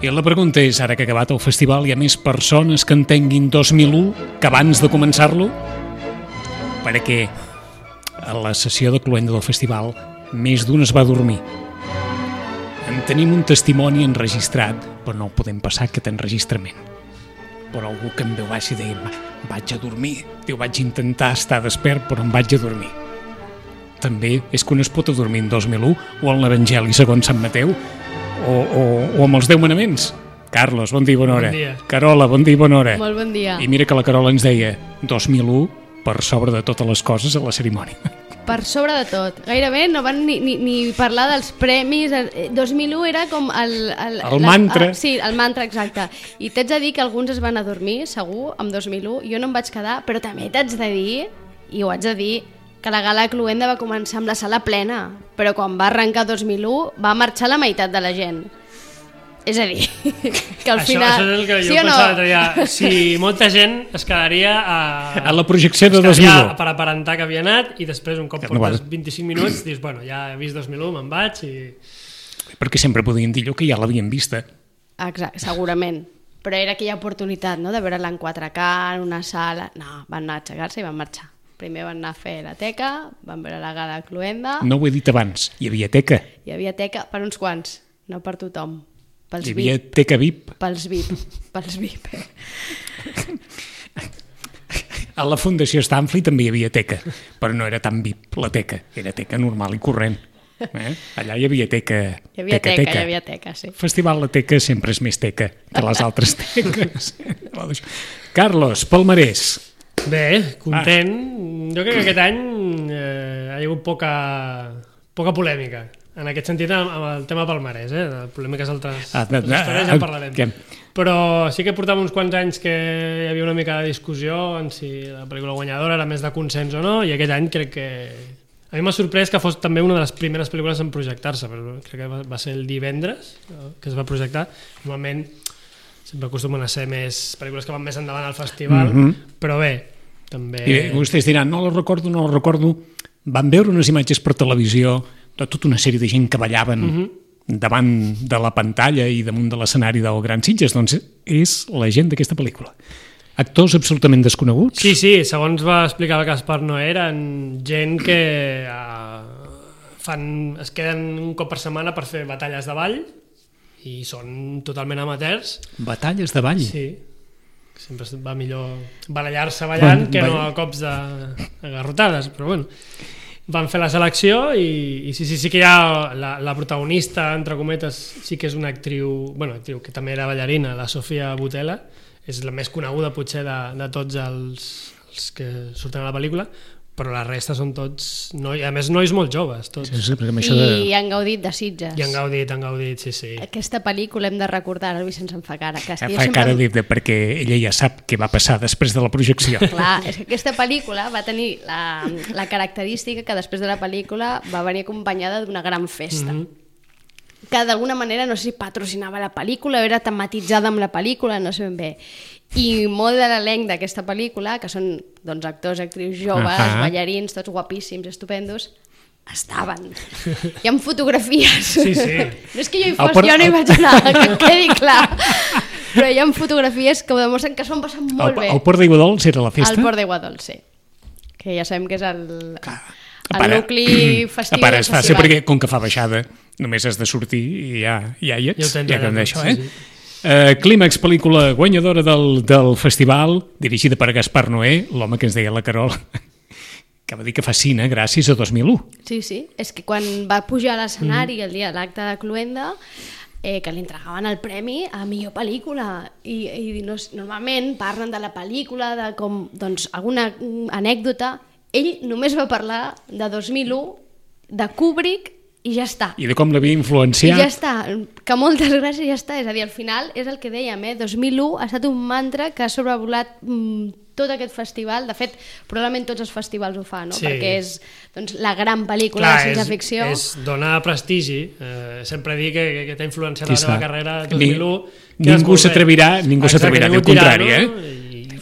I la pregunta és, ara que ha acabat el festival, hi ha més persones que entenguin 2001 que abans de començar-lo? Perquè a la sessió de cloenda del festival més d'un es va dormir. En tenim un testimoni enregistrat, però no el podem passar aquest enregistrament. Però algú que em veu baix i deia, vaig a dormir. Diu, vaig intentar estar despert, però em vaig a dormir. També és que un es pot adormir en 2001 o en l'Evangeli segons Sant Mateu o amb els 10 manaments. Carlos, bon dia i bona hora. Bon dia. Carola, bon dia i bona hora. Molt bon dia. I mira que la Carola ens deia 2001 per sobre de totes les coses a la cerimònia. Per sobre de tot. Gairebé no van ni parlar dels premis. 2001 era com el mantra. Sí, el mantra, exacte. I t'haig de dir que alguns es van adormir, segur, amb 2001. Jo no em vaig quedar, però també t'haig de dir, i ho haig de dir, que la gala cloenda va començar amb la sala plena, però quan va arrencar 2001 va marxar la meitat de la gent. És a dir, que al final... Això és el que jo pensava, ja, si molta gent es quedaria a la projecció de 2001 per aparentar que havia anat i després un cop portes 25 minuts dius, bueno, ja he vist 2001, me'n vaig i... Perquè sempre podien dir que ja l'havien vista. Exacte, segurament. Però era aquella oportunitat, no?, de veure-la en 4K, en una sala... No, van anar a aixecar-se i van marxar. Primer van anar a fer la teca, van veure la gala cloenda... No ho he dit abans, hi havia teca. Hi havia teca per uns quants, no per tothom. Pels hi havia VIP. teca VIP. Pels VIP. A la Fundació Stanford també hi havia teca, però no era tan VIP la teca, era teca normal i corrent. Allà hi havia teca. Hi havia teca, sí. Festival La Teca sempre és més teca que les altres teques. Carlos, palmarès. Bé, content. Jo crec que aquest any hi ha hagut poca polèmica. En aquest sentit, amb el tema palmarès, polèmiques altres històries ja en parlarem. Però sí que portàvem uns quants anys que hi havia una mica de discussió en si la pel·lícula guanyadora era més de consens o no, i aquest any crec que... A mi m'ha sorprès que fos també una de les primeres pel·lícules en projectar-se, però crec que va ser el divendres que es va projectar. Normalment sempre acostumen a ser més pel·lícules que van més endavant al festival, però bé, també... I vostès diran, no la recordo. Van veure unes imatges per televisió de tota una sèrie de gent que ballaven davant de la pantalla i damunt de l'escenari del Gran Sitges, doncs és la gent d'aquesta pel·lícula. Actors absolutament desconeguts? Sí, segons va explicar el Gaspar Noé, eren gent que es queden un cop per setmana per fer batalles de ball i són totalment amateurs. Batalles de ball? Sí. Sempre va millor barallar-se ballant que no a cops de garrotades, però bueno. Van fer la selecció i sí que hi ha la protagonista, entre cometes, sí que és una actriu que també era ballarina, la Sofia Boutella, és la més coneguda potser de tots els que surten a la pel·lícula, però la resta són tots, a més nois molt joves tots. I han gaudit de Sitges. I han gaudit, sí. Aquesta pel·lícula hem de recordar, ara se'ns en fa cara. Fa cara perquè ella ja sap què va passar després de la projecció. Clar, és que aquesta pel·lícula va tenir la característica que després de la pel·lícula va venir acompanyada d'una gran festa. Que d'alguna manera, no sé si patrocinava la pel·lícula o era tematitzada amb la pel·lícula, no sé ben bé. I molt de l'elenc d'aquesta pel·lícula, que són actors, actrius joves, ballarins, tots guapíssims, estupendos, estaven. Hi ha fotografies. Sí. No és que jo no hi vaig anar, que quedi clar. Però hi ha fotografies que ho demostren que s'ho han passat molt bé. El Port d'Aiguadols era la festa? El Port d'Aiguadols, sí. Que ja sabem que és el nucli festiu. A part és fàcil perquè com que fa baixada només has de sortir i ja hi ets. Clímax, pel·lícula guanyadora del festival, dirigida per Gaspar Noé, l'home que ens deia la Carola, que va dir que fascina gràcies a 2001. Sí, és que quan va pujar a l'escenari el dia de l'acte de cloenda, que li entregaven el premi a millor pel·lícula i normalment parlen de la pel·lícula, de com, alguna anècdota. Ell només va parlar de 2001, de Kubrick, i ja està. I de com l'havia influenciat. I ja està, que moltes gràcies ja està. És a dir, al final és el que dèiem, 2001 ha estat un mantra que ha sobrevolat tot aquest festival. De fet, probablement tots els festivals ho fan, no? Sí. Perquè és la gran pel·lícula de ciència-ficció. És donar prestigi. Sempre dir que t'ha influenciat la teva carrera 2001. Ningú s'atrevirà a dir el contrari,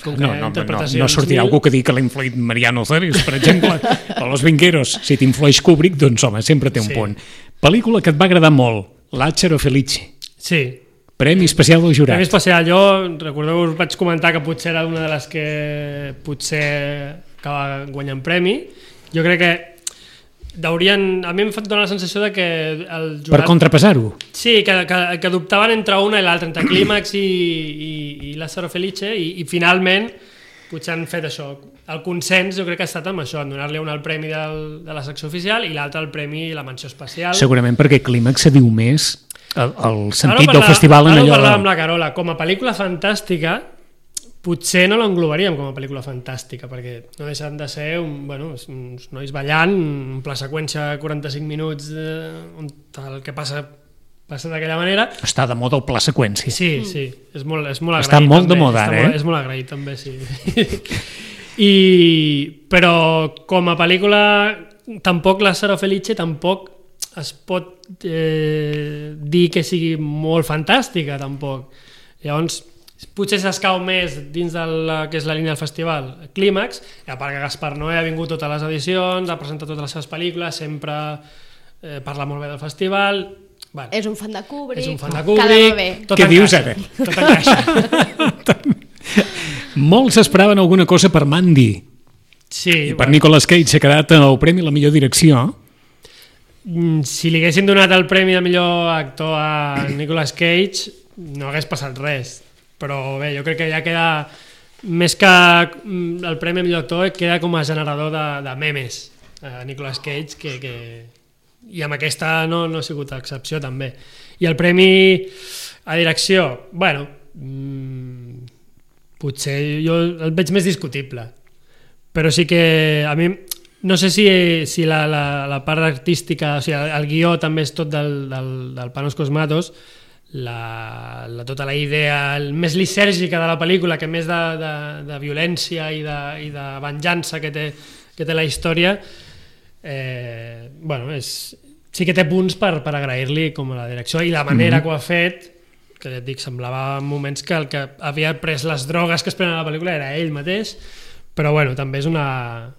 No sortirà algú que digui que l'ha influït Mariano Ceres, per exemple, o Los Vinqueros. Si t'influeix Kubrick, doncs home, sempre té un punt. Pel·lícula que et va agradar molt, Lázaro Felice. Sí. Premi especial del jurat. Premi especial. Jo, recordeu, us vaig comentar que potser era una de les que potser acaba guanyant premi. Jo crec que a mi em dona la sensació de que el jurat... Per contrapesar-ho? Sí, que dubtaven entre una i l'altra, entre Clímax i Lázaro Felice, i finalment potser han fet això. El consens jo crec que ha estat amb això, en donar-li un el premi de la secció oficial i l'altre el premi i la menció especial. Segurament perquè Clímax se diu més el sentit del festival en allò... Ara ho parlàvem amb la Carola, com a pel·lícula fantàstica potser no l'englobaríem com a pel·lícula fantàstica, perquè no deixen de ser uns nois ballant, un pla seqüència de 45 minuts on el que passa d'aquella manera. Està de moda el pla seqüència. Sí, és molt agraït. Està molt de moda, És molt agraït, també, sí. Però com a pel·lícula, tampoc Lázaro Felice tampoc es pot dir que sigui molt fantàstica, tampoc. Llavors, potser s'escau més dins de que és la línia del festival Clímax, a part que Gaspar Noé ha vingut totes les edicions, ha presentat totes les seves pel·lícules, sempre parla molt bé del festival. Bueno, és un fan de Kubrick. Què dius ara? Tot encaixa. Molts esperaven alguna cosa per Mandy. Sí. I per Nicolas Cage s'ha quedat el premi a la millor direcció. Si li haguessin donat el premi de millor actor a Nicolas Cage no hagués passat res. Però bé, jo crec que ja queda, més que el premi a millor actor, queda com a generador de memes a Nicolas Cage, i amb aquesta no ha sigut excepció també. I el premi a direcció, bueno, potser jo el veig més discutible, però sí que a mi no sé si la part artística, o sigui, el guió també és tot del Panos Cosmatos, tota la idea més lisèrgica de la pel·lícula, que més de violència i de venjança que té la història, sí que té punts per agrair-li com la direcció i la manera que ho ha fet, que ja et dic, semblava en moments que el que havia pres les drogues que es prenen a la pel·lícula era ell mateix, però bueno, també és una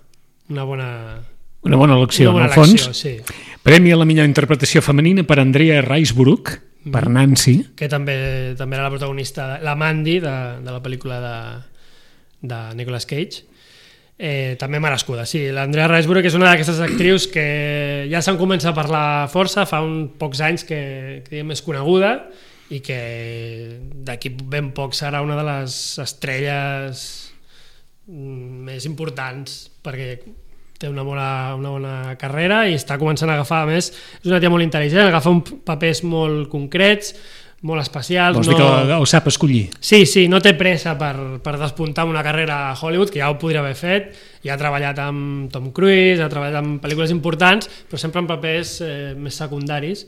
bona elecció, en el fons. Sí. Premi a la millor interpretació femenina per Andrea Riseborough, per Nancy, que també era la protagonista, la Mandy de la pel·lícula de Nicolas Cage. També merescuda, sí. L'Andrea Riseborough, que és una d'aquestes actrius que ja se'n comença a parlar força, fa pocs anys que és coneguda i que d'aquí ben poc serà una de les estrelles més importants, perquè té una bona carrera i està començant a agafar, a més, és una tia molt intel·ligent, agafa papers molt concrets, molt especials. Vols dir que ho sap escollir? Sí, no té pressa per despuntar una carrera a Hollywood, que ja ho podria haver fet, ja ha treballat amb Tom Cruise, ha treballat amb pel·lícules importants, però sempre en papers més secundaris,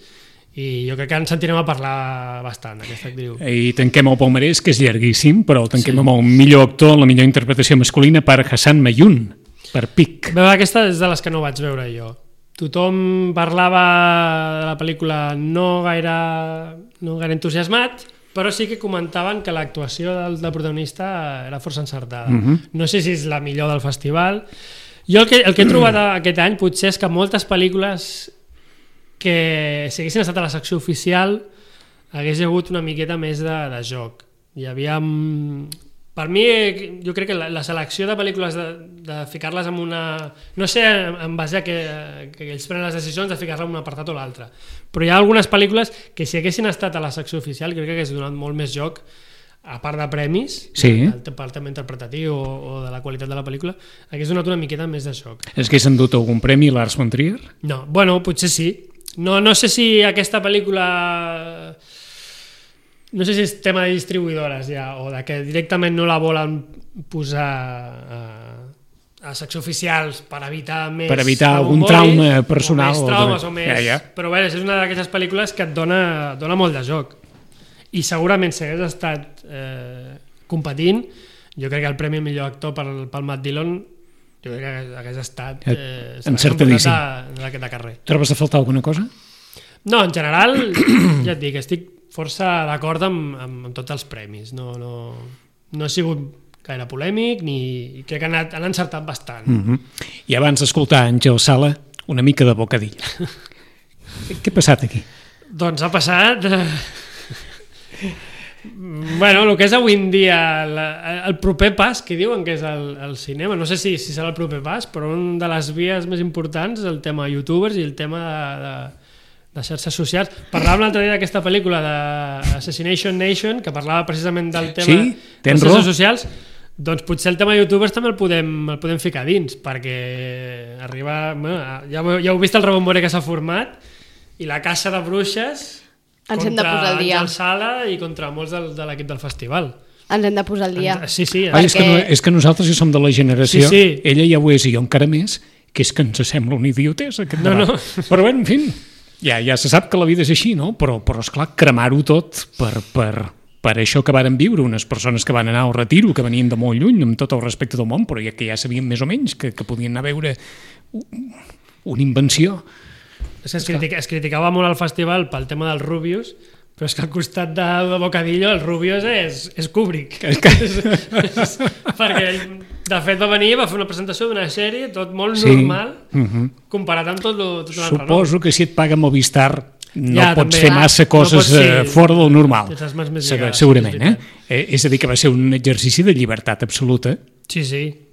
i jo crec que en sentirem a parlar bastant, aquesta actriu. I tanquem el palmarès, que és llarguíssim, però el tanquem amb el millor actor, la millor interpretació masculina per Hassan Mayun, per Pic. Bé, aquesta és de les que no vaig veure jo. Tothom parlava de la pel·lícula no gaire entusiasmat, però sí que comentaven que l'actuació del protagonista era força encertada. No sé si és la millor del festival. Jo el que he trobat aquest any potser és que moltes pel·lícules que si haguessin estat a la secció oficial hagués hagut una miqueta més de joc. Hi havia... Per mi, jo crec que la selecció de pel·lícules de ficar-les en una... No sé en base a que ells prenen les decisions de ficar-la en un apartat o l'altre, però hi ha algunes pel·lícules que si haguessin estat a la secció oficial crec que hagués donat molt més joc, a part de premis, pel tema interpretatiu o de la qualitat de la pel·lícula, hagués donat una miqueta més de joc. És que s'han dut algun premi Lars von Trier? No, bueno, potser sí. No sé si aquesta pel·lícula... No sé si és tema de distribuïdores ja, o de que directament no la volen posar a secció oficials per evitar més... Per evitar algun trauma personal. O més traumes o més... Ja. Però bé, és una d'aquestes pel·lícules que et dona molt de joc. I segurament si hagués estat competint, jo crec que el premi millor actor pel Matt Dillon jo crec que hagués estat encertadíssim de carrer. Trobes a faltar alguna cosa? No, en general, ja et dic, estic força d'acord amb tots els premis. No ha sigut gaire polèmic i crec que han encertat bastant. I abans d'escoltar Àngel Sala, una mica de bocadilla. Què ha passat aquí? Doncs ha passat Bueno, el que és avui en dia el proper pas, que diuen que és el cinema, no sé si serà el proper pas, però una de les vies més importants és el tema youtubers i el tema de xarxes socials. Parlàvem l'altre dia d'aquesta pel·lícula d'Assassination Nation, que parlava precisament del tema de xarxes socials. Doncs potser el tema youtubers també el podem ficar dins, perquè arriba... Ja heu vist el rebombori que s'ha format, i la caça de bruixes... Ens hem de posar al dia. Contra Àngel Sala i contra molts de l'equip del festival. Ens hem de posar al dia. Sí. Perquè... És que nosaltres ja som de la generació, ella ja ho és i jo encara més, que és que ens sembla una idiotesa aquest debat. No. Però bé, en fi, ja se sap que la vida és així, no? Però esclar, cremar-ho tot per això que varen viure, unes persones que van anar al retiro, que venien de molt lluny, amb tot el respecte del món, però que ja sabien més o menys que podien anar a veure una invenció. Es criticava molt al festival pel tema dels Rubius, però és que al costat de Bocadillo el Rubius és Kubrick. Perquè ell, de fet, va venir i va fer una presentació d'una sèrie, tot molt normal, comparat amb tot l'altre. Suposo que si et paga Movistar no pots fer massa coses fora del normal. Segurament, És a dir, que va ser un exercici de llibertat absoluta. Sí,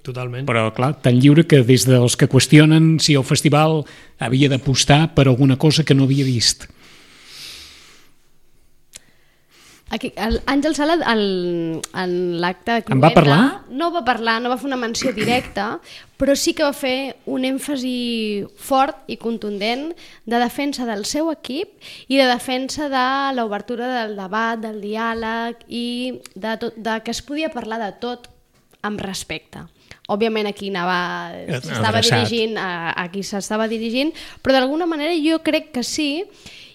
totalment. Però, clar, tan lliure que des dels que qüestionen si el festival havia d'apostar per alguna cosa que no havia vist. Àngel Sala, en l'acte de Cluenda... En va parlar? No va parlar, no va fer una menció directa, però sí que va fer un èmfasi fort i contundent de defensa del seu equip i de defensa de l'obertura del debat, del diàleg i de que es podia parlar de tot amb respecte. Òbviament aquí s'estava dirigint a qui s'estava dirigint, però d'alguna manera jo crec que sí,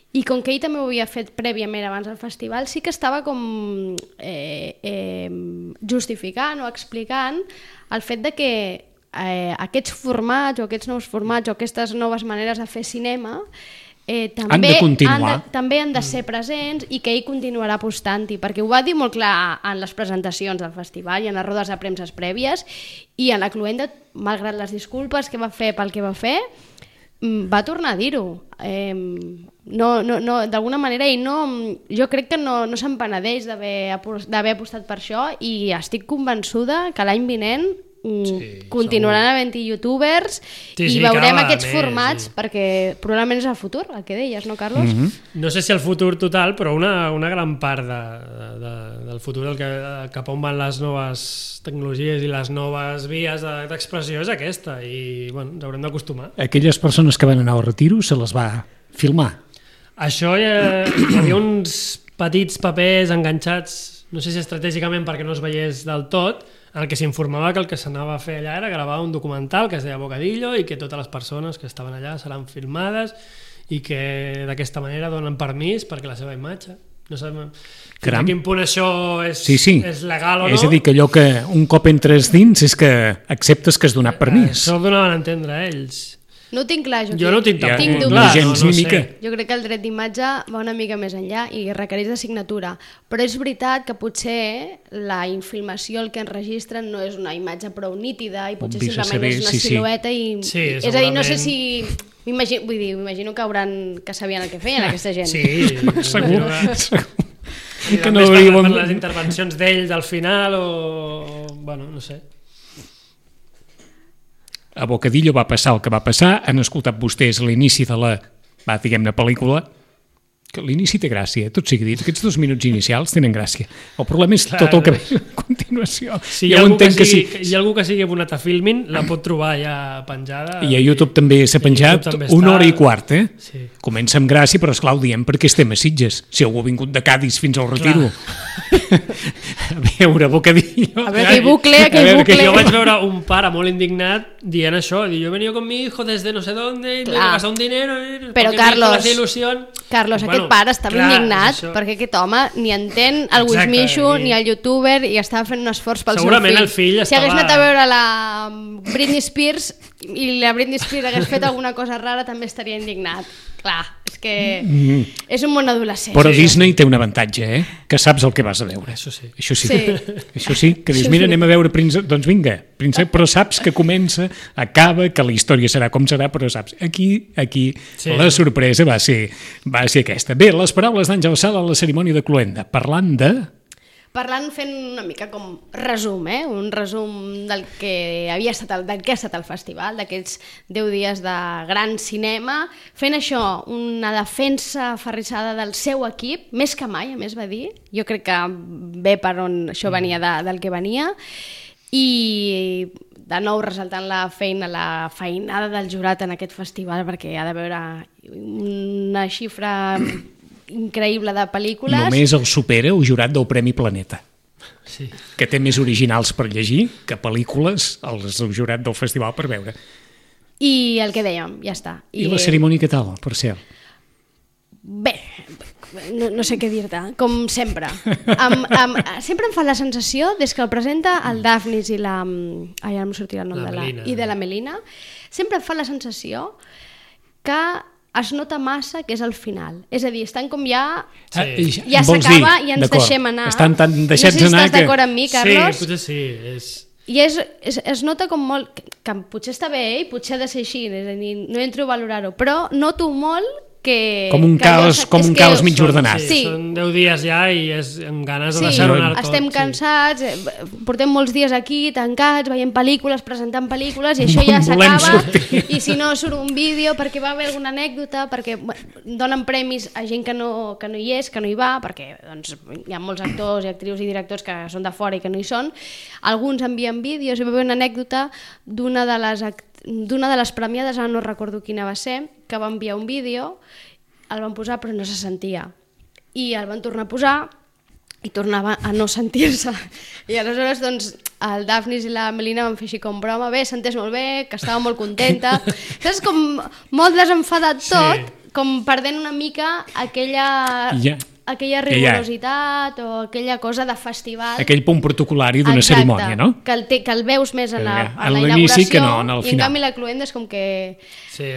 i com que ell també ho havia fet prèviament abans del festival, sí que estava com justificant o explicant el fet de que aquests formats o aquests nous formats o aquestes noves maneres de fer cinema també han de ser presents i que ell continuarà apostant-hi, perquè ho va dir molt clar en les presentacions del festival i en les rodes de premses prèvies, i en la Cluenda, malgrat les disculpes que va fer pel que va fer, va tornar a dir-ho. D'alguna manera jo crec que no se'n penedeix d'haver apostat per això, i estic convençuda que l'any vinent continuaran havent-hi youtubers i veurem aquests formats, perquè probablement és el futur, el que deies, no, Carlos? No sé si el futur total, però una gran part del futur, cap on van les noves tecnologies i les noves vies d'expressió és aquesta, i ens haurem d'acostumar. Aquelles persones que van anar al retiro se les va filmar. Això hi havia uns petits papers enganxats, no sé si estratègicament perquè no es veiés del tot, en el que s'informava que el que s'anava a fer allà era gravar un documental que es deia Bocadillo i que totes les persones que estaven allà seran filmades i que d'aquesta manera donen permís perquè la seva imatge... No sabem a quin punt això és legal o no. És a dir, que allò que un cop entres dins és que acceptes que has donat permís. Això ho donaven a entendre ells. No ho tinc clar, jo no ho tinc tampoc. No sé. Jo crec que el dret d'imatge va una mica més enllà i requereix de signatura, però és veritat que potser la infilmació, el que enregistren, no és una imatge prou nítida i potser simplement és una silueta i... És a dir, no sé si... M'imagino que sabien el que feien aquesta gent. Sí, segur. I també per les intervencions d'ells al final o... no sé. A Bocadillo va passar el que va passar, han escoltat vostès l'inici de la, diguem-ne, pel·lícula, que l'inici té gràcia, tot sigui dit, aquests 2 minuts inicials tenen gràcia. El problema és tot el que ve a continuació. Si hi ha algú que sigui abonat a Filmin, la pot trobar ja penjada. I a YouTube també s'ha penjat 1 hora i quart, Sí. Comença amb gràcia, però esclar, ho diem perquè estem a Sitges. Si algú ha vingut de Cádiz fins al Retiro. A veure, Bocadillo. A veure, aquell bucle. Jo vaig veure un pare molt indignat dient això, jo he venido con mi hijo desde no sé dónde, me he gastado un dinero, però Carlos, aquest pare estava indignat perquè aquest home ni entén el Wismichu ni el youtuber i estava fent un esforç pel seu fill. Segurament el fill estava... Si hagués anat a veure la Britney Spears i la Britney Spears hagués fet alguna cosa rara també estaria indignat. Clar, és que és un món adolescent. Però Disney té un avantatge, que saps el que vas a veure. Això sí. Això sí, que dius, mira, anem a veure Príncep, doncs vinga, Príncep, però saps que comença, acaba, que la història serà com serà, però saps, aquí la sorpresa va ser aquesta. Bé, les paraules d'Àngel Sala a la cerimònia de Cluenda, fent una mica com resum, un resum del que ha estat el festival, d'aquests 10 dies de gran cinema, fent això, una defensa aferrissada del seu equip, més que mai, a més va dir, jo crec que ve per on això venia del que venia, i de nou ressaltant la feinada del jurat en aquest festival, perquè ha de veure una xifra increïble de pel·lícules. Només el supera el jurat del Premi Planeta, que té més originals per llegir que pel·lícules el jurat del festival per veure. I el que dèiem, ja està. I la cerimònia què tal, per cert? Bé, no sé què dir-te, com sempre. Sempre em fa la sensació, des que el presenta el Daphnis i la... Ara no em sortirà el nom de la Melina. Sempre em fa la sensació que es nota massa que és el final. És a dir, estan com ja s'acaba i ens deixem anar. Estan tan deixats anar que... No sé si estàs d'acord amb mi, Carlos. Sí, potser sí. I es nota com molt... Que potser està bé i potser ha de ser així, és a dir, no entro a valorar-ho, però noto molt que... Com un caos mig ordenat. Sí, són 10 dies ja i amb ganes de deixar-ho anar tot. Estem cansats, portem molts dies aquí tancats, veient pel·lícules, presentant pel·lícules, i això ja s'acaba, i si no surt un vídeo perquè va haver alguna anècdota, perquè donen premis a gent que no hi és, que no hi va, perquè doncs, hi ha molts actors i actrius i directors que són de fora i que no hi són. Alguns envien vídeos, hi va haver una anècdota d'una de les premiades, ara no recordo quina va ser, que va enviar un vídeo, el van posar però no se sentia, i el van tornar a posar i tornava a no sentir-se, i aleshores doncs el Daphnis i la Melina van fer així com broma, bé, senteix molt bé, que estava molt contenta, saps, com molt desenfadat tot, com perdent una mica aquella rigorositat o aquella cosa de festival. Aquell punt protocolari d'una cerimònia, no? Que el veus més en la inauguració, que no, en el final. I en canvi la Cluenda és com que... Sí,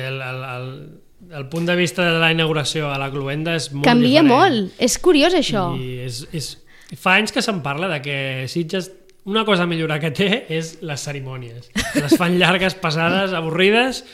el punt de vista de la inauguració a la Cluenda és molt canvia diferent. molt, és curiós això. I fa anys que se'n parla de que Sitges, una cosa a millorar que té és les cerimònies. Les fan llargues, pesades, avorrides,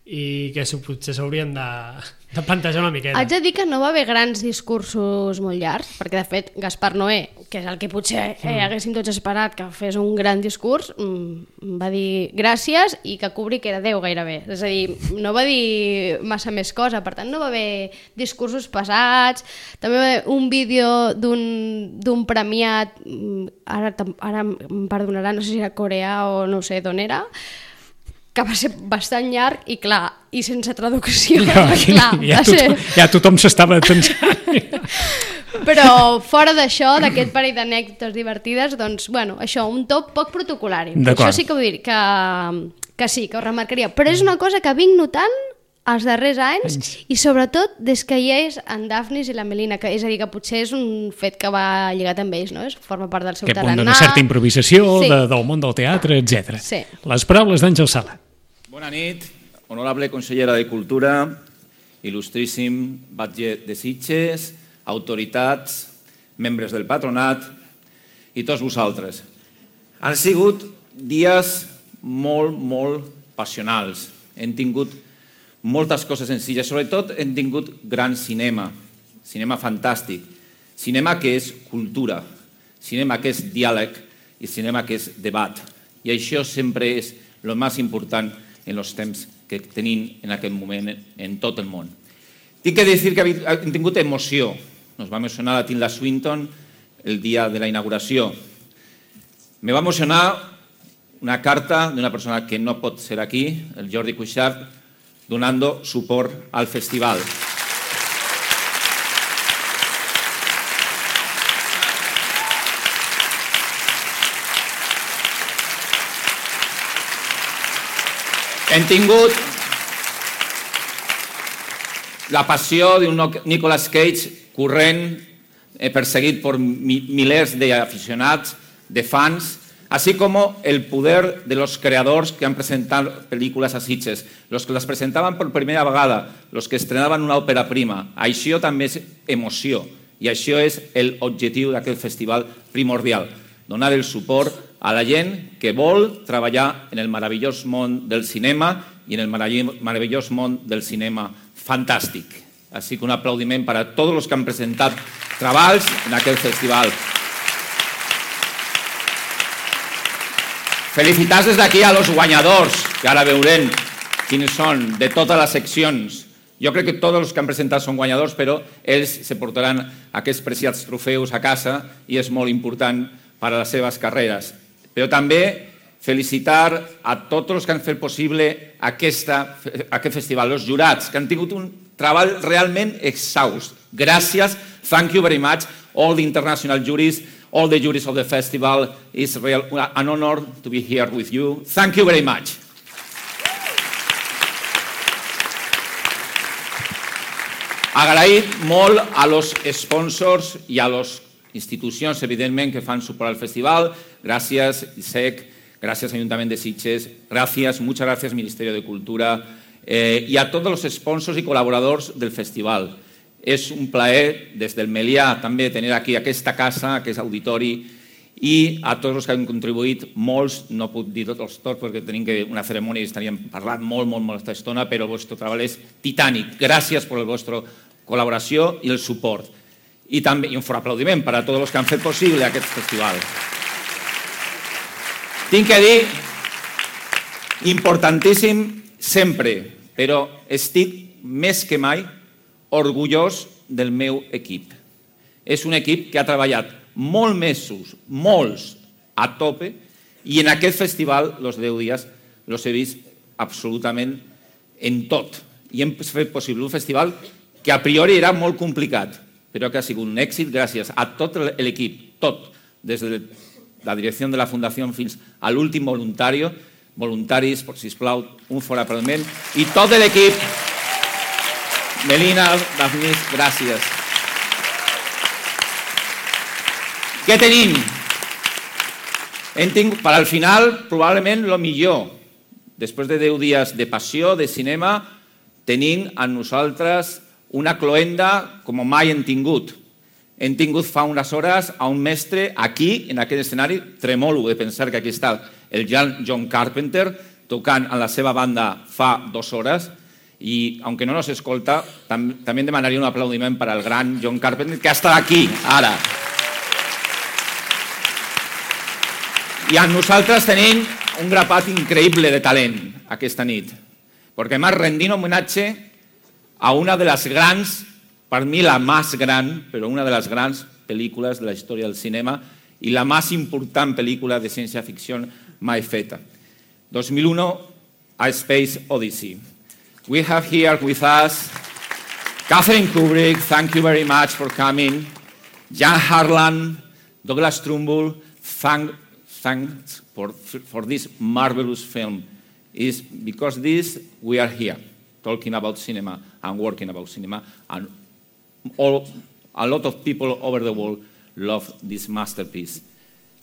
i que potser s'haurien de plantejar una miqueta. Haig de dir que no va haver grans discursos molt llargs, perquè de fet Gaspar Noé, que és el que potser haguéssim tots esperat que fes un gran discurs, va dir gràcies i que cobri que era Déu gairebé. És a dir, no va dir massa més cosa, per tant no va haver discursos pesats, també va haver un vídeo d'un premiat, ara em perdonaran, no sé si era coreà o no sé d'on era, que va ser bastant llarg i clar, i sense traducció. Ja tothom s'estava tensant. Però fora d'això, d'aquest parell d'anècdotes divertides, doncs, bueno, això, un top poc protocolari. Això sí que vull dir, que sí, que ho remarcaria. Però és una cosa que vinc notant els darrers anys i sobretot des que hi és en Daphnis i la Melina, que és a dir, que potser és un fet que va lligat amb ells, no? Forma part del seu tarannà. Que d'una certa improvisació, del món del teatre, etc. Sí. Les paraules d'Àngel Sala. Bona nit, honorable consellera de Cultura, il·lustríssim batlle de Sitges, autoritats, membres del patronat i tots vosaltres. Han sigut dies molt, molt passionals. Hem tingut moltes coses senzilles, sobretot hem tingut gran cinema fantàstic, cinema que és cultura, cinema que és diàleg i cinema que és debat. I això sempre és el més important en els temps que tenim en aquest moment en tot el món. Tinc que dir que hem tingut emoció. Nos va emocionar a Tilda Swinton el dia de la inauguració. Me va emocionar una carta d'una persona que no pot ser aquí, el Jordi Cuixart, donando suport al festival. Hem tingut la passió d'un Nicolas Cage corrent, perseguit per milers d'aficionats, de fans, así como el poder de los creadors que han presentat pel·lícules a Sitges, los que les presentaven per primera vegada, los que estrenaven una òpera prima. Això també és emoció i això és l'objectiu d'aquest festival primordial, donar el suport a la gent que vol treballar en el meravellós món del cinema i en el meravellós món del cinema fantàstic. Així que un aplaudiment per a tots els que han presentat treballs en aquest festival. Felicitats des d'aquí a los guanyadors, que ara veurem quins són, de totes les seccions. Jo crec que tots els que han presentat són guanyadors, però ells se portaran aquests preciats trofeus a casa i és molt important per a les seves carreres. Però també felicitar a tots els que han fet possible aquest festival, els jurats, que han tingut un treball realment exhaust. Gràcies, thank you very much, all the international juries, all the juries of the festival. It's an honor to be here with you. Thank you very much. Agraït molt a los sponsors i a les institucions, evidentment, que fan suport al festival. Gràcies, ISEC, gràcies, Ajuntament de Sitges, muchas gracias, Ministerio de Cultura, y a todos los sponsors y colaboradors del festival. És un plaer, des del Melià, també tenir aquí aquesta casa, aquest auditori, i a tots els que han contribuït, molts, no puc dir tots perquè tenim una cerimònia i estaríem parlant molta estona, però el vostre treball és titànic. Gràcies per la vostra col·laboració i el suport. I també un fort aplaudiment per a tots els que han fet possible aquest festival. Tinc que dir, importantíssim sempre, però estic més que mai orgullós del meu equip. És un equip que ha treballat molts mesos, molts, a tope, i en aquest festival, els 10 dies, els he vist absolutament en tot. I hem fet possible un festival que a priori era molt complicat, però que ha sigut un èxit gràcies a tot l'equip, tot, des de la direcció de la Fundació fins a l'últim voluntari, voluntaris, sisplau, un fort aplaudiment, i tot l'equip. Melina, Daphnis, gràcies. Què tenim? Hem tingut, per al final, probablement el millor. Després de 10 dies de passió, de cinema, tenim a nosaltres una cloenda com mai hem tingut. Hem tingut fa unes hores a un mestre aquí, en aquest escenari, tremolo de pensar que aquí està el John Carpenter, tocant en la seva banda fa 2 hores, i, aunque no nos escolta, també demanaria un aplaudiment per al gran John Carpenter, que està aquí, ara. I a nosaltres tenim un grapat increïble de talent aquesta nit, perquè m'ha rendit homenatge a una de les grans, per mi la més gran, però una de les grans pel·lícules de la història del cinema i la més important pel·lícula de ciència-ficció mai feta. 2001, A Space Odyssey. We have here with us Catherine Kubrick, thank you very much for coming. Jan Harlan, Douglas Trumbull, thanks for this marvelous film. It's because this we are here talking about cinema and working about cinema, and a lot of people over the world love this masterpiece.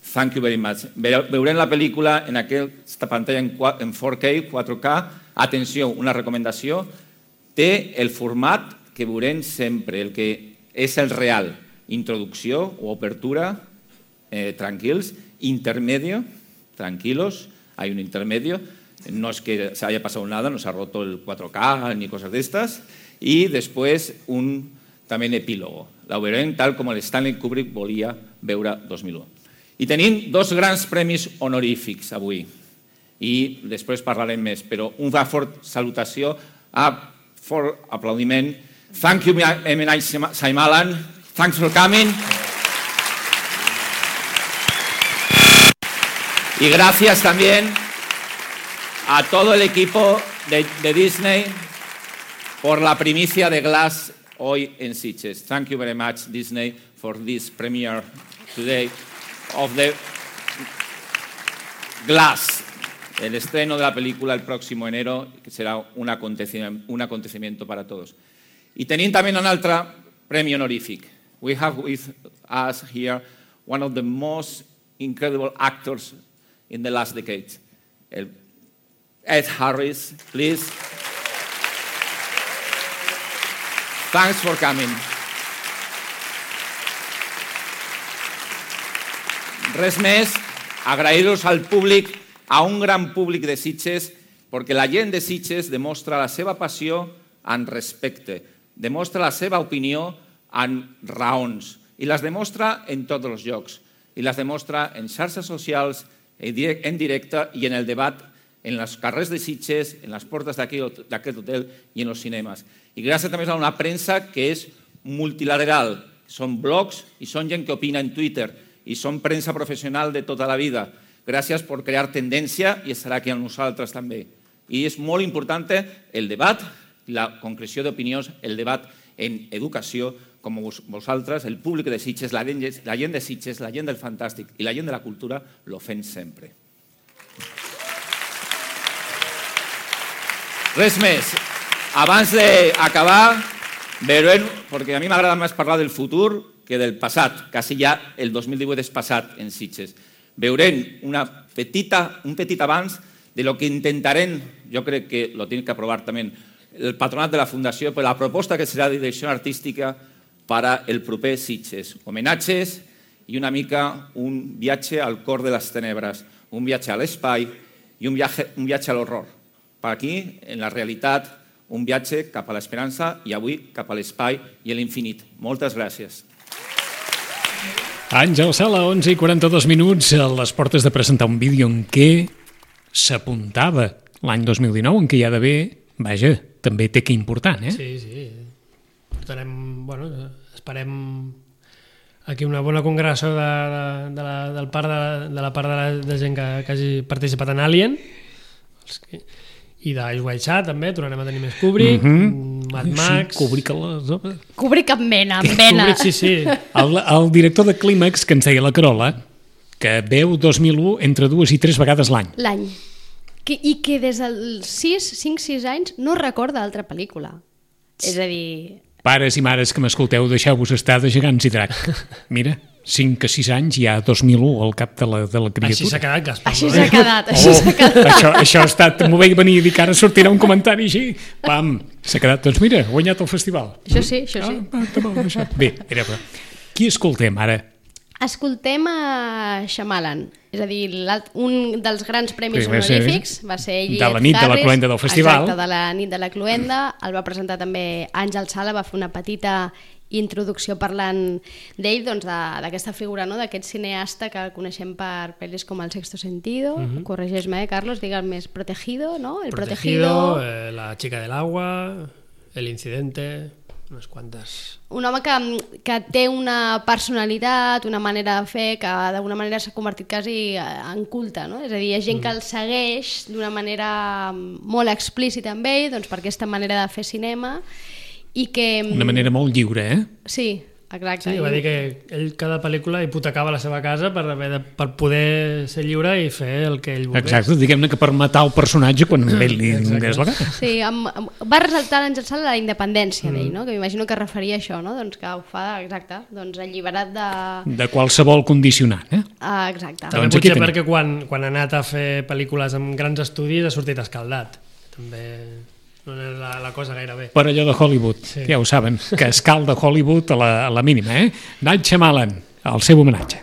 Thank you very much. Veurem la pel·lícula en aquesta pantalla en 4K, 4K. Atenció, una recomanació. Té el format que veurem sempre, el que és el real. Introducció o apertura, tranquils. Intermedio, tranquilos. Hay un intermedio. No es que se haya pasado nada, no se ha roto el 4K ni cosas de estas. Y después también epílogo. La veurem tal com el Stanley Kubrick volia veure 2001. I tenim 2 grans premis honorífics avui. I després parlarem més, però una fort salutació, fort aplaudiment. Thank you, M. Night Shyamalan. Thanks for coming. Y gracias también a todo el equipo de Disney por la primicia de Glass hoy en Sitges. Thank you very much, Disney, for this premiere today of the Glass, el estreno de la película el próximo enero, que será un acontecimiento para todos. Y tenim también un altre premi honorífic. We have with us here one of the most incredible actors in the last decade. Ed Harris, please. Thanks for coming. Res més, agrair-vos al públic, a un gran públic de Sitges, perquè la gent de Sitges demostra la seva passió en respecte, demostra la seva opinió en raons, i les demostra en tots els llocs, i les demostra en xarxes socials, en directe i en el debat, en els carrers de Sitges, en les portes d'aquest hotel i en els cinemes. I gràcies també a una premsa que és multilateral, són blogs i són gent que opina en Twitter, i són premsa professional de tota la vida. Gràcies per crear tendència i estarà aquí amb nosaltres també. I és molt important el debat, la concreció d'opinions, el debat en educació, com vosaltres, el públic de Sitges, la gent de Sitges, la gent del fantàstic i la gent de la cultura, lo fem sempre. Res més. Abans d'acabar, veurem, perquè a mi m'agrada més parlar del futur que del passat, quasi ja el 2018 és passat en Sitges. Veurem un petit abans de lo que intentarem, jo crec que lo tiene que aprovar també el patronat de la Fundació, per la proposta que serà de direcció artística per el proper Sitges. Homenatges i una mica un viatge al cor de les tenebres, un viatge a l'espai i un viatge a l'horror. Per aquí, en la realitat, un viatge cap a l'esperança i avui cap a l'espai i a l'infinit. Moltes gràcies. Àngel Sala, 11:42, a les portes de presentar un vídeo en què s'apuntava l'any 2019, en què hi ha d'haver, vaja, també té que important, eh? Sí. Esperem aquí una bona congregació de la part de gent que hagi participat en Alien, i d'Ice White Chat també, tornarem a tenir més Kubrick, Mad Max... Kubrick amb mena, amb vena. Kubrick, sí. El director de Clímax, que ens deia la Carola, que veu 2001 entre 2 i 3 vegades l'any. L'any. I que des dels 5-6 anys no recorda altra pel·lícula. És a dir... Pares i mares que m'escolteu, deixeu-vos estar de Gegants i Drac. Mira, 5 a 6 anys hi ha 2001 al cap de la criatura. Així s'ha quedat, Gaspar. Així s'ha quedat. Això ha estat... M'ho veia venir a dir que ara sortirà un comentari així. Pam, s'ha quedat. Doncs mira, ha guanyat el festival. Això sí. Bé, era... Qui escoltem ara? Escoltem a Shyamalan, és a dir, un dels grans premis honorífics va ser ell, de la nit de la cloenda del festival. Exacte, de la nit de la cloenda. El va presentar també Àngel Sala, va fer una petita introducció parlant d'ell, doncs, d'aquesta figura, no? D'aquest cineasta que coneixem per pel·lis com El sexto sentido, corregeix-me, Carlos, digue'l més, Protegido, no? El Protegido, La chica del agua, El incidente... unes quantes... Un home que té una personalitat, una manera de fer, que d'alguna manera s'ha convertit quasi en culte, no? És a dir, hi ha gent que el segueix d'una manera molt explícita amb ell, doncs per aquesta manera de fer cinema, i que... Una manera molt lliure, eh? Sí, exacte. Sí, va dir que ell cada pel·lícula hipotecava la seva casa per poder ser lliure i fer el que ell volgués. Exacte, diguem-ne que per matar el personatge quan ell li donés la gana. Sí, va resaltar l'Àngel Sala la independència d'ell, no? Que m'imagino que referia a això, no? Doncs que ho fa, exacte, doncs alliberat de... De qualsevol condicionant, eh? Exacte. També doncs potser perquè quan ha anat a fer pel·lícules amb grans estudis ha sortit escaldat. També... no és la cosa gaire bé. Per allò de Hollywood, sí. Ja ho saben, que escalda Hollywood a la mínima, eh? Night Shyamalan, el seu homenatge.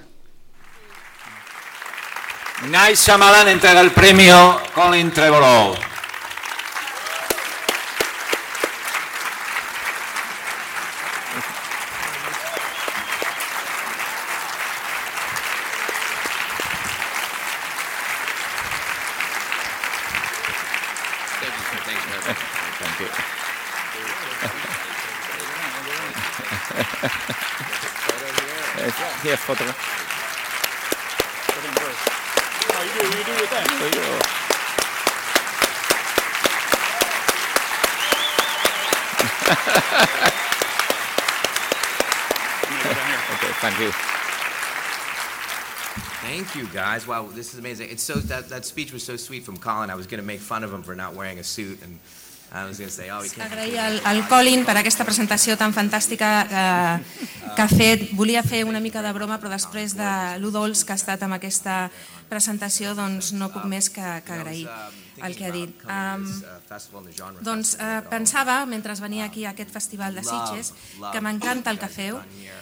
Night Shyamalan entrega el premio Colin Trevorrow. Yes, photo. You do with that. Okay, thank you. Thank you, guys. Wow, this is amazing. It's so that speech was so sweet from Colin. I was going to make fun of him for not wearing a suit, and Agrair al Colin per aquesta presentació tan fantàstica que ha fet. Volia fer una mica de broma, però després de lo dolç que ha estat amb aquesta presentació, doncs no puc més que agrair el que ha dit. Doncs pensava, mentre venia aquí a aquest festival de Sitges, que m'encanta el que feu.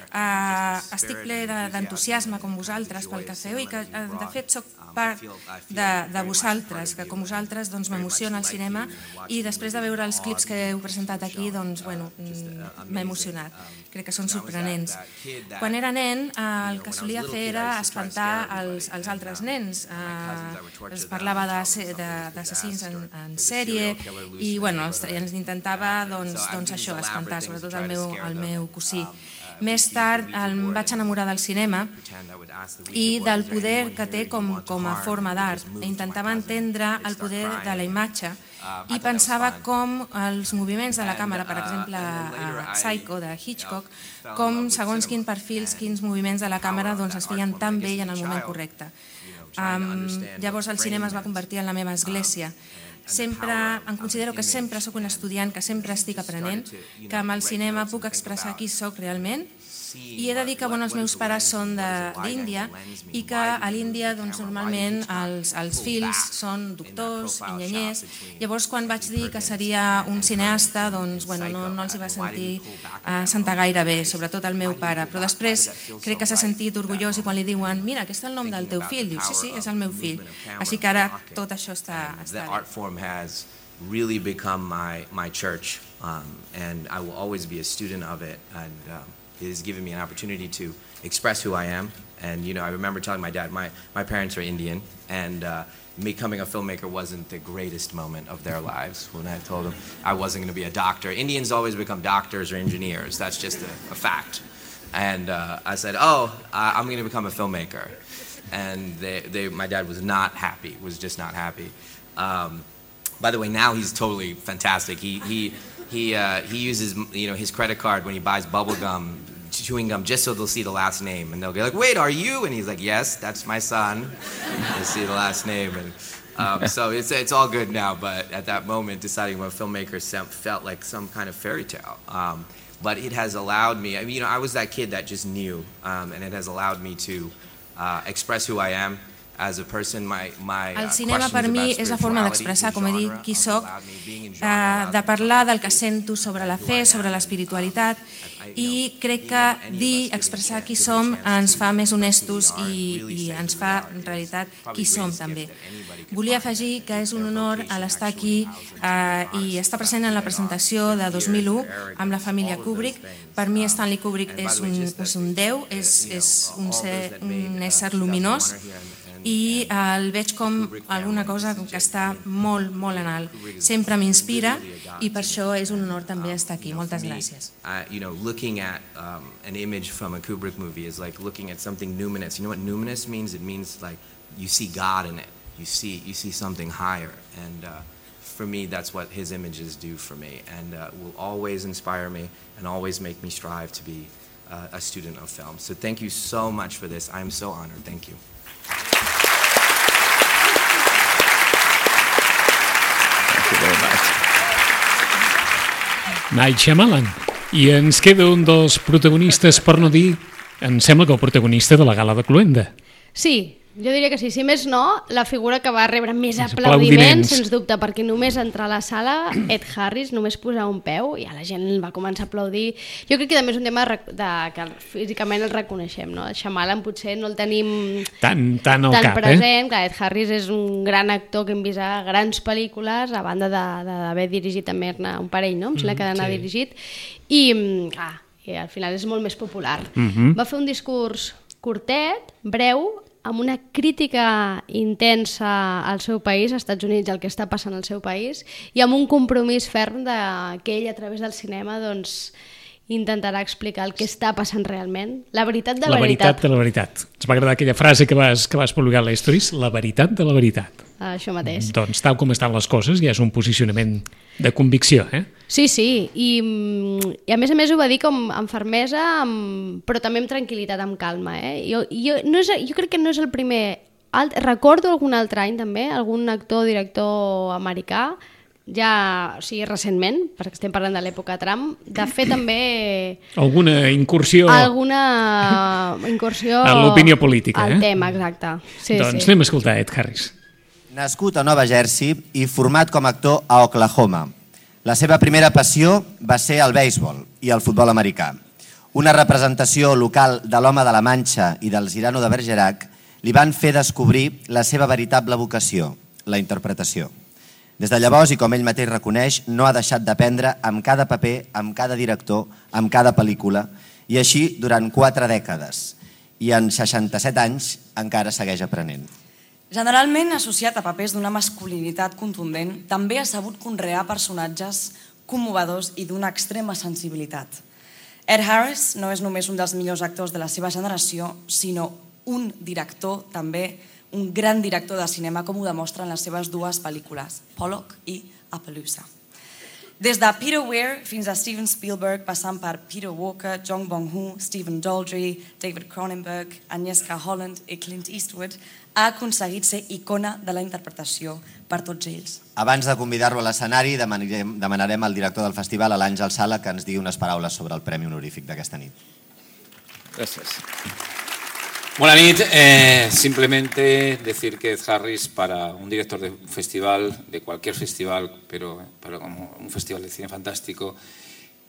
Estic ple d'entusiasme com vosaltres pel que feu i que de fet soc part de vosaltres, que com vosaltres m'emociona el cinema i després de veure els clips que heu presentat aquí m'he emocionat. Crec que són sorprenents. Quan era nen el que solia fer era espantar els altres nens. Es parlava d'assassins en sèrie i ens intentava això, espantar, sobretot el meu cosí. Més tard em vaig enamorar del cinema i del poder que té com a forma d'art. Intentava entendre el poder de la imatge i pensava com els moviments de la càmera, per exemple a Psycho de Hitchcock, com segons quins perfils, quins moviments de la càmera es feien tan bé i en el moment correcte. Llavors el cinema es va convertir en la meva església. Em considero que sempre sóc un estudiant, que sempre estic aprenent, que amb el cinema puc expressar qui sóc realment i he de dir que els meus pares són d'Índia i que a l'Índia normalment els fills són doctors, enginyers. Llavors quan vaig dir que seria un cineasta no els hi va sentar gaire bé, sobretot el meu pare, però després crec que s'ha sentit orgullós i quan li diuen mira, aquest és el nom del teu fill, diu sí, és el meu fill. Així que ara tot això està bé. Has really become my church, and I will always be a student of it, and it has given me an opportunity to express who I am. And I remember telling my dad, my parents are Indian, and becoming a filmmaker wasn't the greatest moment of their lives. When I told them I wasn't going to be a doctor, Indians always become doctors or engineers. That's just a fact. And I said, I'm going to become a filmmaker, and my dad was not happy. Was just not happy. By the way, now he's totally fantastic. He uses his credit card when he buys chewing gum, just so they'll see the last name, and they'll be like, "Wait, are you?" And he's like, "Yes, that's my son." They see the last name, and so it's all good now. But at that moment, deciding what filmmaker felt like some kind of fairy tale. But it has allowed me. I was that kid that just knew, and it has allowed me to express who I am. El cinema per mi és la forma d'expressar, com he dit, qui soc, de parlar del que sento sobre la fe, sobre l'espiritualitat, i crec que dir, expressar qui som ens fa més honestos i ens fa en realitat qui som també. Volia afegir que és un honor l'estar aquí i estar present en la presentació de 2001 amb la família Kubrick. Per mi Stanley Kubrick és un déu, és un ésser luminós i el veig com alguna cosa que està molt, molt en alt. Sempre m'inspira i per això és un honor també estar aquí. Moltes gràcies. Looking at an image from a Kubrick movie is like looking at something numinous. You know what numinous means? It means like you see God in it. You see something higher. And for me, that's what his images do for me, and will always inspire me and always make me strive to be a student of film. So thank you so much for this. I'm so honored. Thank you. Night Shyamalan. I ens queda un dels protagonistes, per no dir, em sembla que el protagonista de la gala de Cluenda. Sí, jo diria que sí. Si més no, la figura que va rebre més aplaudiments, sens dubte, perquè només entrar a la sala, Ed Harris, només posar un peu, i la gent va començar a aplaudir. Jo crec que també és un tema que físicament el reconeixem, no? El Shyamalan potser no el tenim tan present, que Ed Harris és un gran actor que hem vist a grans pel·lícules, a banda d'haver dirigit també un parell, no? Em sembla que n'ha dirigit, i al final és molt més popular. Va fer un discurs curtet, breu, amb una crítica intensa al seu país, als Estats Units, al que està passant al seu país, i amb un compromís ferm que ell, a través del cinema, intentarà explicar el que està passant realment. La veritat de la veritat. La veritat de la veritat. Ens va agradar aquella frase que vas publicar a l'Historis, la veritat de la veritat. Això mateix. Doncs tal com estan les coses, ja és un posicionament de convicció, eh? Sí, i a més ho va dir com amb fermesa, però també amb tranquil·litat, amb calma. Jo crec que no és el primer. Recordo algun altre any també, algun actor o director americà ja, o sigui, recentment, perquè estem parlant de l'època Trump, de fer també... Alguna incursió a l'opinió política. Al tema, exacte. Sí, doncs anem a escoltar Ed Harris. Nascut a Nova Jersey i format com a actor a Oklahoma. La seva primera passió va ser el béisbol i el futbol americà. Una representació local de l'Home de la Manxa i del Cyrano de Bergerac li van fer descobrir la seva veritable vocació, la interpretació. Des de llavors, i com ell mateix reconeix, no ha deixat d'aprendre amb cada paper, amb cada director, amb cada pel·lícula, i així durant 4 dècades. I en 67 anys encara segueix aprenent. Generalment associat a papers d'una masculinitat contundent, també ha sabut conrear personatges commovedors i d'una extrema sensibilitat. Ed Harris no és només un dels millors actors de la seva generació, sinó un director també, un gran director de cinema, com ho demostren les seves 2 pel·lícules, Pollock i Appaloosa. Des de Peter Weir fins a Steven Spielberg, passant per Peter Walker, Jong Bong-ho, Stephen Daldry, David Cronenberg, Agnieszka Holland i Clint Eastwood, ha aconseguit ser icona de la interpretació per tots ells. Abans de convidar-lo a l'escenari, demanarem al director del festival, a l'Àngel Sala, que ens digui unes paraules sobre el Premi Honorífic d'aquesta nit. Gràcies. Buenas noches. Simplemente decir que Ed Harris, para un director de un festival, de cualquier festival, pero como un festival de cine fantástico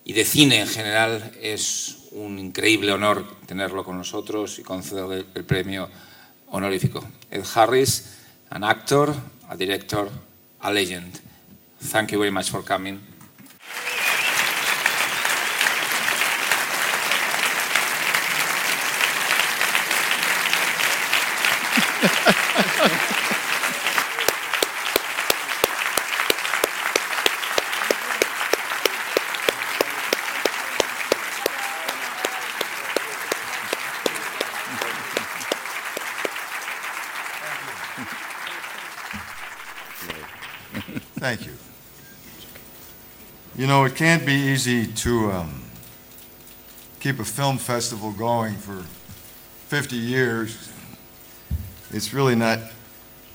y de cine en general, es un increíble honor tenerlo con nosotros y concederle el premio honorífico. Ed Harris, an actor, a director, a legend. Thank you very much for coming. Thank you. You know, it can't be easy to keep a film festival going for 50 years. It's really not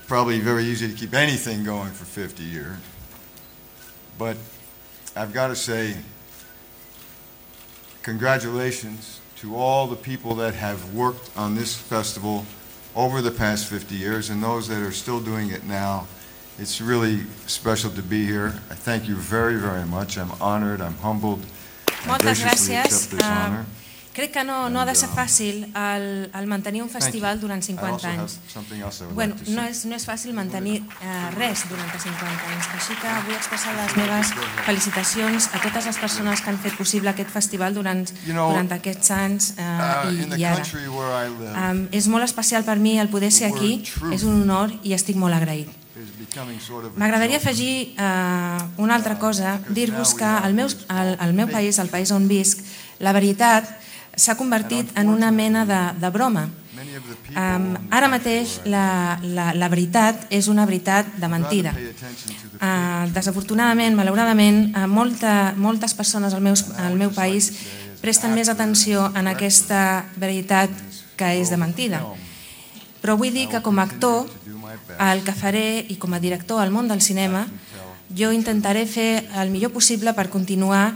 probably very easy to keep anything going for 50 years. But I've got to say, congratulations to all the people that have worked on this festival over the past 50 years and those that are still doing it now. It's really special to be here. I thank you very, very much. I'm honored, I'm humbled. Moltes gràcies. Crec que no ha de ser fàcil el mantenir un festival durant 50 anys. Bueno, no és fàcil mantenir res durant 50 anys. Així que vull expressar les meves felicitacions a totes les persones que han fet possible aquest festival durant aquests anys i ara. És molt especial per mi el poder ser aquí, és un honor i estic molt agraït. M'agradaria afegir una altra cosa, dir-vos que al meu país, el país on visc, la veritat s'ha convertit en una mena de broma. Ara mateix la veritat és una veritat de mentida. Desafortunadament, malauradament, moltes persones al meu país presten més atenció en aquesta veritat que és de mentida. Però vull dir que com a actor, el que faré i com a director al món del cinema, jo intentaré fer el millor possible per continuar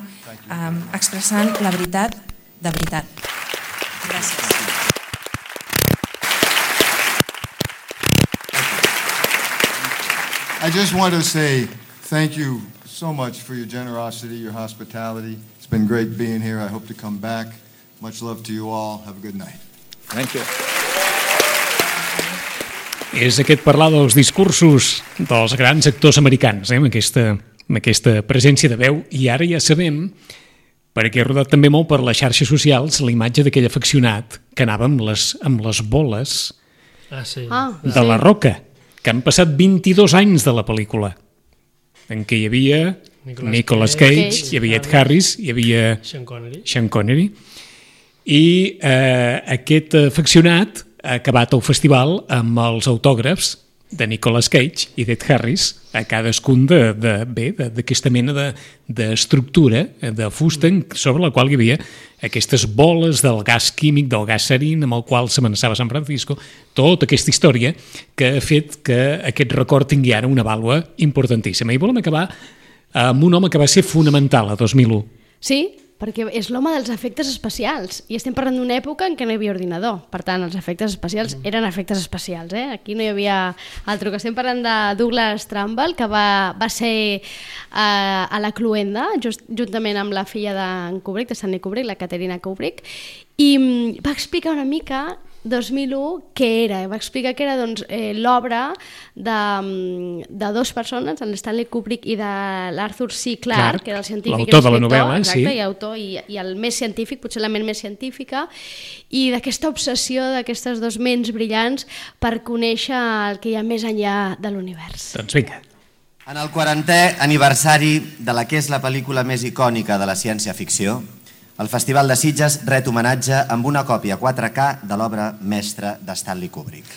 expressant la veritat de veritat. Gràcies. I just want to say thank you so much for your generosity, your hospitality. It's been great being here. I hope to come back. Much love to you all. Have a good night. Thank you. És aquest parlar dels discursos dels grans actors americans, amb aquesta presència de veu, i ara ja sabem, perquè he rodat també molt per les xarxes socials, la imatge d'aquell afeccionat que anava amb les boles de la Roca, que han passat 22 anys de la pel·lícula, en què hi havia Nicolas Cage, hi havia Ed Harris, hi havia Sean Connery, i aquest afeccionat ha acabat el festival amb els autògrafs de Nicolas Cage i d'Ed Harris a cadascun d'aquesta mena d'estructura de fusta sobre la qual hi havia aquestes boles del gas químic, del gas sarin amb el qual s'amenaçava San Francisco, tota aquesta història que ha fet que aquest record tingui ara una vàlua importantíssima. I volem acabar amb un home que va ser fonamental a 2001. Sí, perquè és l'home dels efectes especials i estem parlant d'una època en què no hi havia ordinador, per tant els efectes especials eren efectes especials, aquí no hi havia altre, que estem parlant de Douglas Trumbull, que va ser a la Cluenda juntament amb la filla de Kubrick, de Stanley Kubrick, la Caterina Kubrick, i va explicar una mica 2001 què era, va explicar que era l'obra de dues persones, en Stanley Kubrick i de l'Arthur C. Clarke, que era el científic, l'autor de la novel·la, exacte, sí. I autor i el més científic, potser la ment més científica, i d'aquesta obsessió d'aquestes dues ments brillants per conèixer el que hi ha més enllà de l'univers. Doncs vinga. En el 40è aniversari de la que és la pel·lícula més icònica de la ciència-ficció, el Festival de Sitges ret homenatge amb una còpia 4K de l'obra mestra de Stanley Kubrick.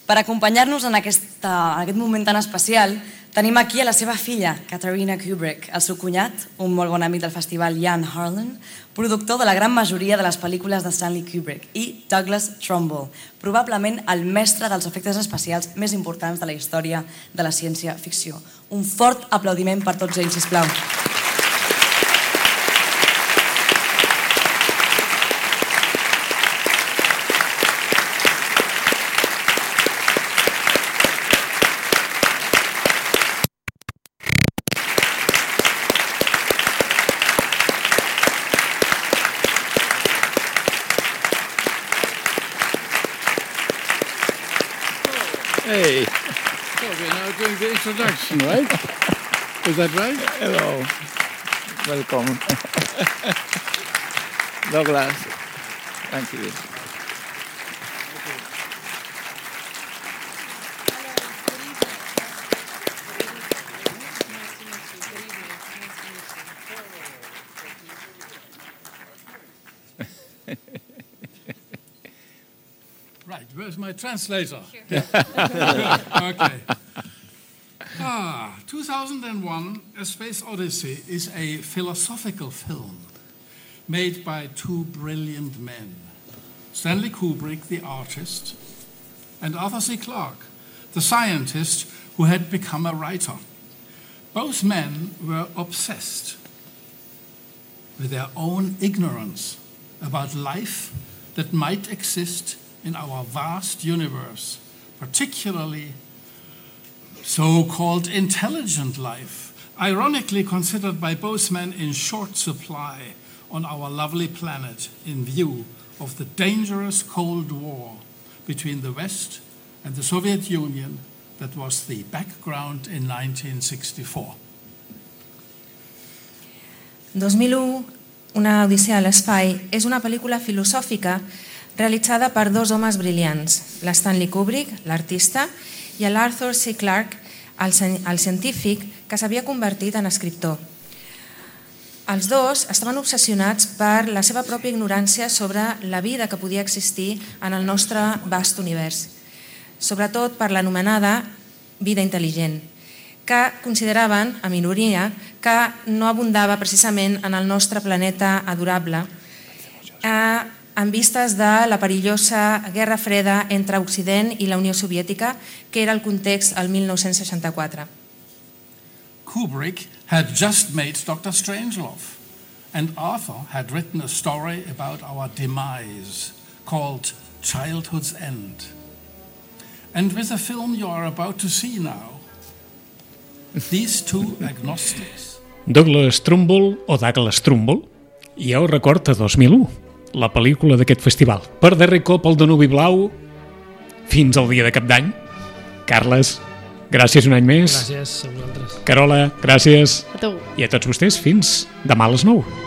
Per acompanyar-nos en aquest moment tan especial, tenim aquí a la seva filla, Caterina Kubrick, el seu cunyat, un molt bon amic del festival, Jan Harlan, productor de la gran majoria de les pel·lícules de Stanley Kubrick, i Douglas Trumbull, probablement el mestre dels efectes especials més importants de la història de la ciència-ficció. Un fort aplaudiment per tots ells, sisplau. Hey, so we're now doing the introduction, right? Is that right? Hello, welcome. Douglas, thank you. Right, where's my translator? Okay. 2001, A Space Odyssey is a philosophical film made by two brilliant men, Stanley Kubrick, the artist, and Arthur C. Clarke, the scientist who had become a writer. Both men were obsessed with their own ignorance about life that might exist in our vast universe, particularly so-called intelligent life, ironically considered by both men in short supply on our lovely planet in view of the dangerous Cold War between the West and the Soviet Union that was the background in 1964. 2001, una odissea a l'espai, és una pel·lícula filosòfica realitzada per dos homes brillants, l'Stanley Kubrick, l'artista, i l'Arthur C. Clarke, el científic que s'havia convertit en escriptor. Els dos estaven obsessionats per la seva pròpia ignorància sobre la vida que podia existir en el nostre vast univers, sobretot per l'anomenada vida intel·ligent, que consideraven, a minoria, que no abundava precisament en el nostre planeta adorable, en vistes de la perillosa Guerra Freda entre Occident i la Unió Soviètica, que era el context al 1964. Kubrick had just made Dr. Strangelove, and Arthur had written a story about our demise called Childhood's End. And with the film you are about to see now, these two agnostics... Douglas Trumbull o Douglas Trumbull, jo record a 2001, la pel·lícula d'aquest festival. Per darrer cop el Danubi Blau, fins al dia de Cap d'Any. Carles, gràcies un any més. Gràcies a vosaltres. Carola, gràcies. A tu. I a tots vostès, fins demà a les 9.